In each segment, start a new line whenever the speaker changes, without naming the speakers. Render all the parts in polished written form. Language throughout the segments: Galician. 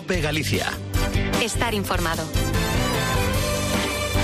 COPE Galicia.
Estar informado.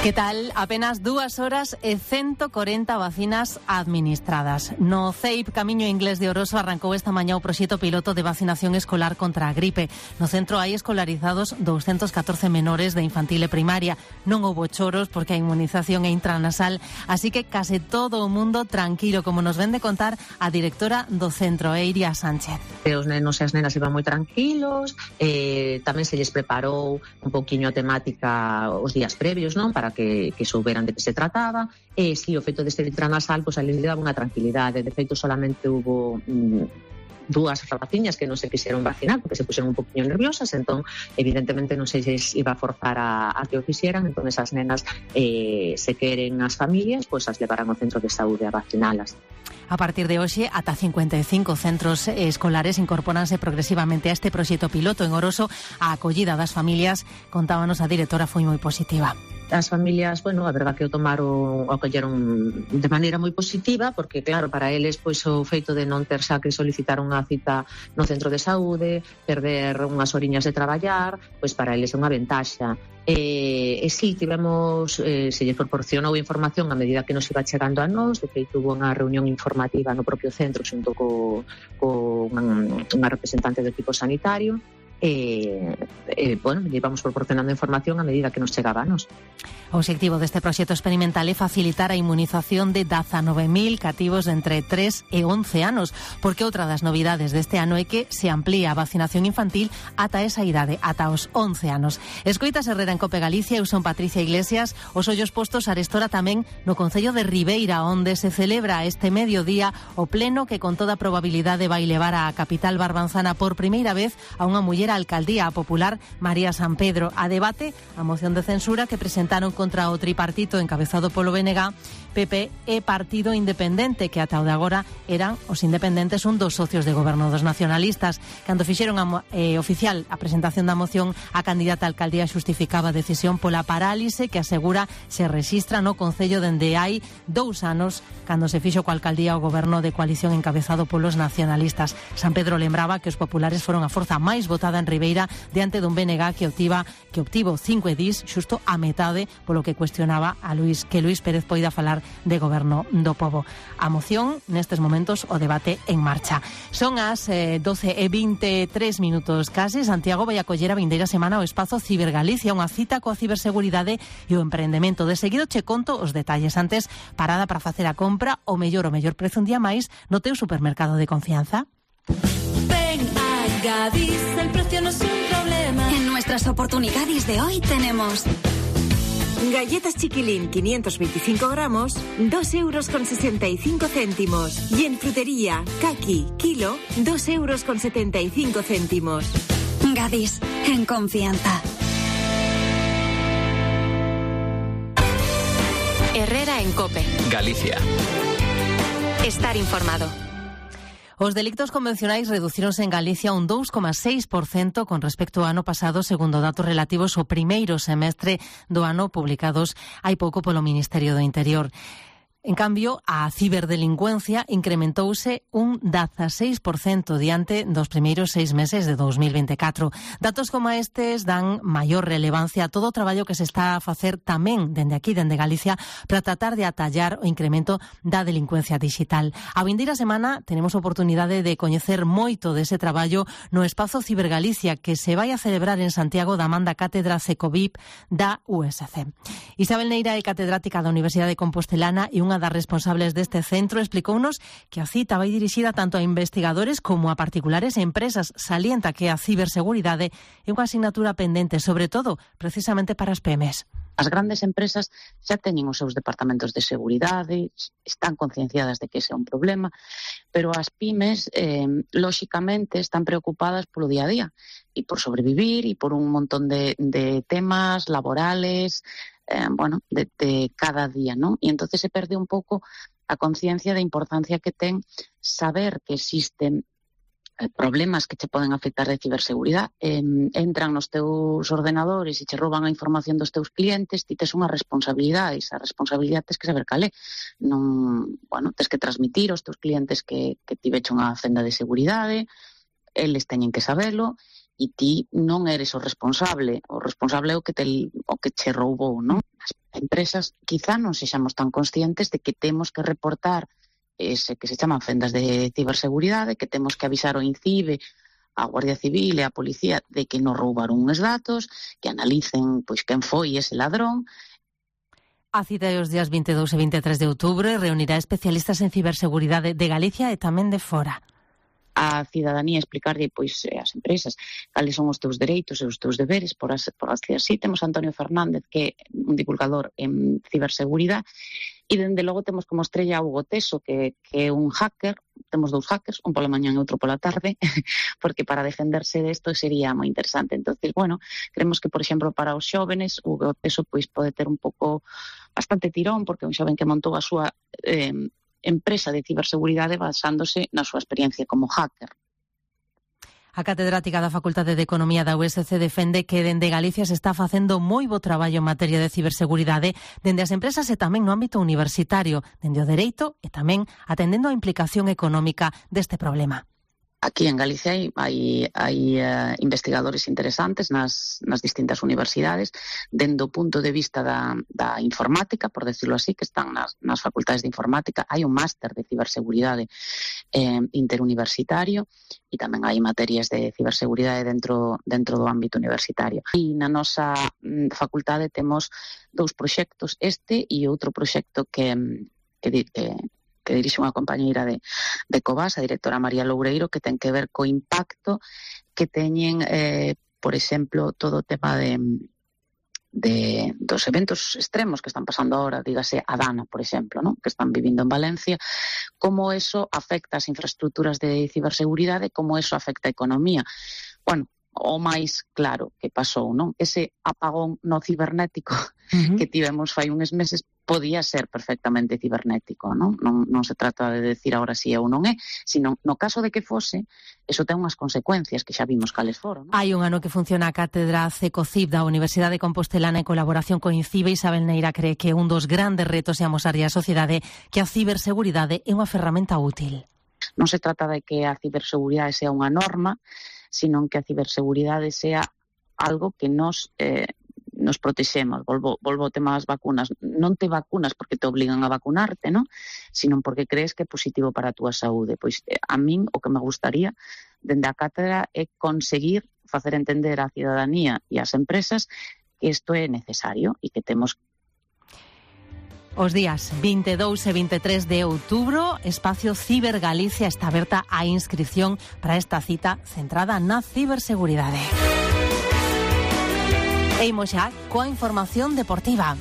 Que tal? Apenas 2 horas e 140 vacinas administradas. No CEIP Camiño Inglés de Oroso arrancou esta mañá o proxecto piloto de vacinación escolar contra a gripe. No centro hai escolarizados 214 menores de infantil e primaria. Non houbo choros porque a inmunización é intranasal, así que case todo o mundo tranquilo, como nos ven de contar a directora do centro, Iria Sánchez.
Os nenos e as nenas iban moi tranquilos, tamén se lles preparou un poquinho a temática os días previos, non? Para que souberan de que se trataba, e si o feito de ser intranasal, pois a les daba unha tranquilidade. De feito, solamente hubo 2 rapaciñas que non se quixeron vacinar porque se puxeron un poquinho nerviosas, entón evidentemente non se lles iba a forzar a que o fixeran, entón esas nenas se queren as familias, pois as levarán ao centro de saúde a vacinalas.
A partir de hoxe, ata 55 centros escolares incorpóranse progresivamente a este proxecto piloto en Oroso. A acollida das familias, contábanos a directora, foi moi positiva.
As familias, bueno, a verdade que o acolleron de maneira moi positiva, porque claro, para eles pois o feito de non ter xa que solicitar unha cita no centro de saúde, perder unhas horiñas de traballar, pois para eles é unha ventaxa. E si, tivemos, se lle proporcionou información a medida que nos iba chegando a nós. De feito, hubo unha reunión informativa no propio centro xunto co unha representante do equipo sanitario. Bueno, íbamos proporcionando información a medida que nos chegaba a nos.
O obxectivo deste proxecto experimental é facilitar a inmunización de 19.000 cativos de entre 3 e 11 anos, porque outra das novidades deste ano é que se amplía a vacinación infantil ata esa idade, ata os 11 anos. Escoitas Herrera en COPE Galicia, eu son Patricia Iglesias. Os ollos postos arestora tamén no concello de Ribeira, onde se celebra este mediodía o pleno que con toda probabilidade vai levar á capital barbanzana por primeira vez a unha muller alcaldía popular, María San Pedro. A debate a moción de censura que presentaron contra o tripartito encabezado polo BNG, PP e Partido Independente, que ata o de agora eran os independentes un dos socios de goberno dos nacionalistas. Cando fixeron oficial a presentación da moción, a candidata a alcaldía xustificaba a decisión pola parálise que asegura se rexistra no concello dende hai 2 anos, cando se fixo coa alcaldía o goberno de coalición encabezado polos nacionalistas. San Pedro lembraba que os populares foron a forza máis votada en Ribeira diante dun BNG que obtivo 5 edís, xusto a metade, polo que cuestionaba a Luís Pérez poida falar de goberno do pobo. A moción, nestes momentos, o debate en marcha. Son as 12:23 minutos case. Santiago vai acoller a vindeira semana o espazo Cibergalicia, unha cita coa ciberseguridade e o emprendemento. De seguido che conto os detalles. Antes, parada para facer a compra, o mellor prezo un día máis no teu supermercado de confianza.
Ven a Gadis, el precio no es un problema.
En nuestras oportunidades de hoy tenemos
galletas Chiquilín 525 gramos, 2,65 €. Y en frutería, Kaki, kilo, 2,75 €.
Gadis, en confianza. Herrera en COPE
Galicia.
Estar informado.
Os delictos convencionais reducíronse en Galicia un 2,6% con respecto ao ano pasado, segundo datos relativos ao primeiro semestre do ano publicados hai pouco polo Ministerio do Interior. En cambio, a ciberdelincuencia incrementouse un 16% diante dos primeiros 6 meses de 2024. Datos como estes dan maior relevancia a todo o traballo que se está a facer tamén dende aquí, dende Galicia, para tratar de atallar o incremento da delincuencia digital. A vindeira semana tenemos oportunidade de coñecer moito dese traballo no espazo Cibergalicia que se vai a celebrar en Santiago da man da Cátedra CECOVIP da USC. Isabel Neira é catedrática da Universidade Compostelana e unha das responsables deste centro explicounos que a cita vai dirixida tanto a investigadores como a particulares e empresas. Salienta que a ciberseguridade é unha asignatura pendente, sobre todo, precisamente para as PMEs.
As grandes empresas xa teñen os seus departamentos de seguridade, están concienciadas de que ese é un problema, pero as pymes, lóxicamente, están preocupadas polo día a día e por sobrevivir e por un montón de temas laborales, de cada día, ¿no? E entonces se perde un pouco a conciencia da importancia que ten saber que existen problemas que che poden afectar de ciberseguridade. Entran nos teus ordenadores e che rouban a información dos teus clientes, ti tes unha responsabilidade, esa responsabilidade tes que saber cal é. Tes que transmitir aos teus clientes que ti veche unha fenda de seguridade, eles teñen que sabelo, e ti non eres o responsable é o que che roubou, non? As empresas quizá non sexamos tan conscientes de que temos que reportar ese que se chaman fendas de ciberseguridade, que temos que avisar o INCIBE, a Guardia Civil e a Policía de que nos roubaron uns datos, que analicen pois quen foi ese ladrón.
A cita dos días 22 e 23 de outubro reunirá especialistas en ciberseguridade de Galicia e tamén de fora.
A cidadanía explicarlle pois ás empresas cales son os teus dereitos e os teus deberes por así. Temos a Antonio Fernández, que é un divulgador en ciberseguridade, e dende logo temos como estrella a Hugo Teso, que é un hacker. Temos 2 hackers, un pola mañán e outro pola tarde, porque para defenderse desto sería moi interesante. Entonces, bueno, creemos que, por exemplo, para os xóvenes, Hugo Teso pois pode ter un pouco bastante tirón, porque é un xoven que montou a súa empresa de ciberseguridade basándose na súa experiencia como hacker.
A catedrática da Facultade de Economía da USC defende que dende Galicia se está facendo moi bo traballo en materia de ciberseguridade dende as empresas e tamén no ámbito universitario, dende o dereito e tamén atendendo a implicación económica deste problema.
Aquí en Galicia hai investigadores interesantes nas distintas universidades, dende o punto de vista da informática, por decirlo así, que están nas facultades de informática. Hai un máster de ciberseguridade interuniversitario e tamén hai materias de ciberseguridade dentro do ámbito universitario. E na nosa facultade temos 2 proxectos, este e outro proxecto que dirixe unha compañeira de Covas, a directora María Loureiro, que ten que ver co impacto que teñen, por exemplo, todo o tema dos eventos extremos que están pasando ahora, dígase a Dana, por exemplo, ¿no? Que están vivindo en Valencia, como eso afecta as infraestructuras de ciberseguridade, como eso afecta a economía. Bueno, o máis claro que pasou, non? Ese apagón no cibernético que tivemos fai uns meses podía ser perfectamente cibernético, non? Non se trata de decir agora si é ou non é, sino no caso de que fose, eso ten unhas consecuencias que xa vimos cales foron, non?
Hai un ano que funciona a cátedra CECOCIB da Universidade Compostelana en colaboración co INCIBE. Isabel Neira cree que un dos grandes retos é amosarlle á sociedade que a ciberseguridade é unha ferramenta útil.
Non se trata de que a ciberseguridade sea unha norma, sino que a ciberseguridade sea algo que nos protexemos. Volvo ao tema das vacunas. Non te vacunas porque te obligan a vacunarte, non? Sino porque crees que é positivo para a túa saúde. Pois a min o que me gustaría dende a cátedra é conseguir facer entender á cidadanía e ás empresas que isto é necesario e que temos.
Os días 22 e 23 de outubro, Espacio Ciber Galicia está aberta a inscripción para esta cita centrada na ciberseguridade. E imos xa coa información deportiva.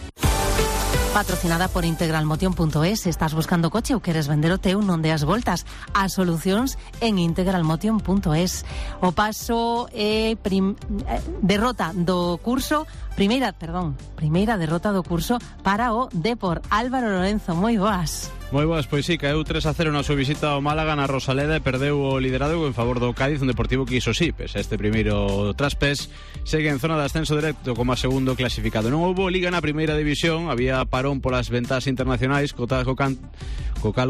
Patrocinada por integralmotion.es. Se estás buscando coche ou queres vender o teu, non deas voltas. As solucións en integralmotion.es. O paso é derrota do curso, primeira derrota do curso para o Depor. Álvaro Lorenzo, moi boas.
Moi boas, pois sí, caeu 3-0 na súa visita ao Málaga na Rosaleda e perdeu o liderado en favor do Cádiz, un Deportivo que iso sí, pese a este primeiro traspés, segue en zona de ascenso directo como a segundo clasificado. Non houbo liga na primeira división, había parón polas ventas internacionais, co cal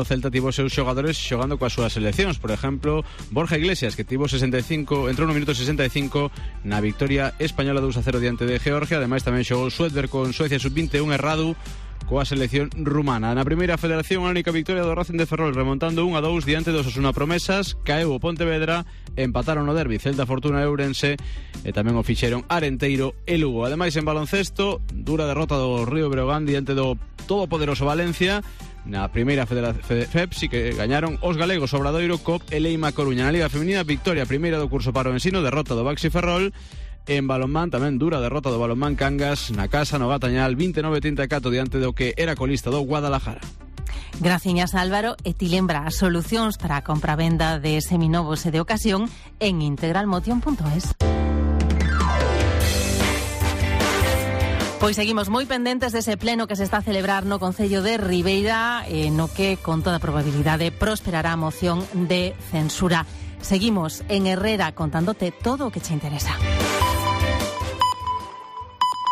o Celta tivo seus xogadores xogando coas súas seleccións. Por exemplo, Borja Iglesias, que tivo 65, entrou no minuto 65 na victoria española 2-0 diante de Georgia. Ademais tamén xogou Suedberg con Suecia sub-21 errado coa selección rumana. Na primeira federación, a única victoria do Racing de Ferrol, remontando 1-2 diante dos Osasuna Promesas. Caeu o Pontevedra, empataron no derbi Celta Fortuna e Ourense e tamén o fixeron Arenteiro e Lugo. Ademais, en baloncesto, dura derrota do Río Breogán diante do todopoderoso Valencia. Na primeira FEP sí que gañaron os galegos Obradoiro, COP e Leima Coruña. Na Liga Feminina, victoria primeira do curso para o ensino, derrota do Baxi Ferrol. En balonmán tamén dura derrota do Balonmán Cangas na casa no Gatañal, 29-34 diante do que era colista do Guadalajara.
Graciñas, Álvaro, e ti lembra as solucións para a compra-venda de seminovos e de ocasión en integralmotion.es. Pois seguimos moi pendentes dese pleno que se está a celebrar no Concello de Ribeira, no que con toda probabilidade prosperará a moción de censura. Seguimos en Herrera contándote todo o que che interesa.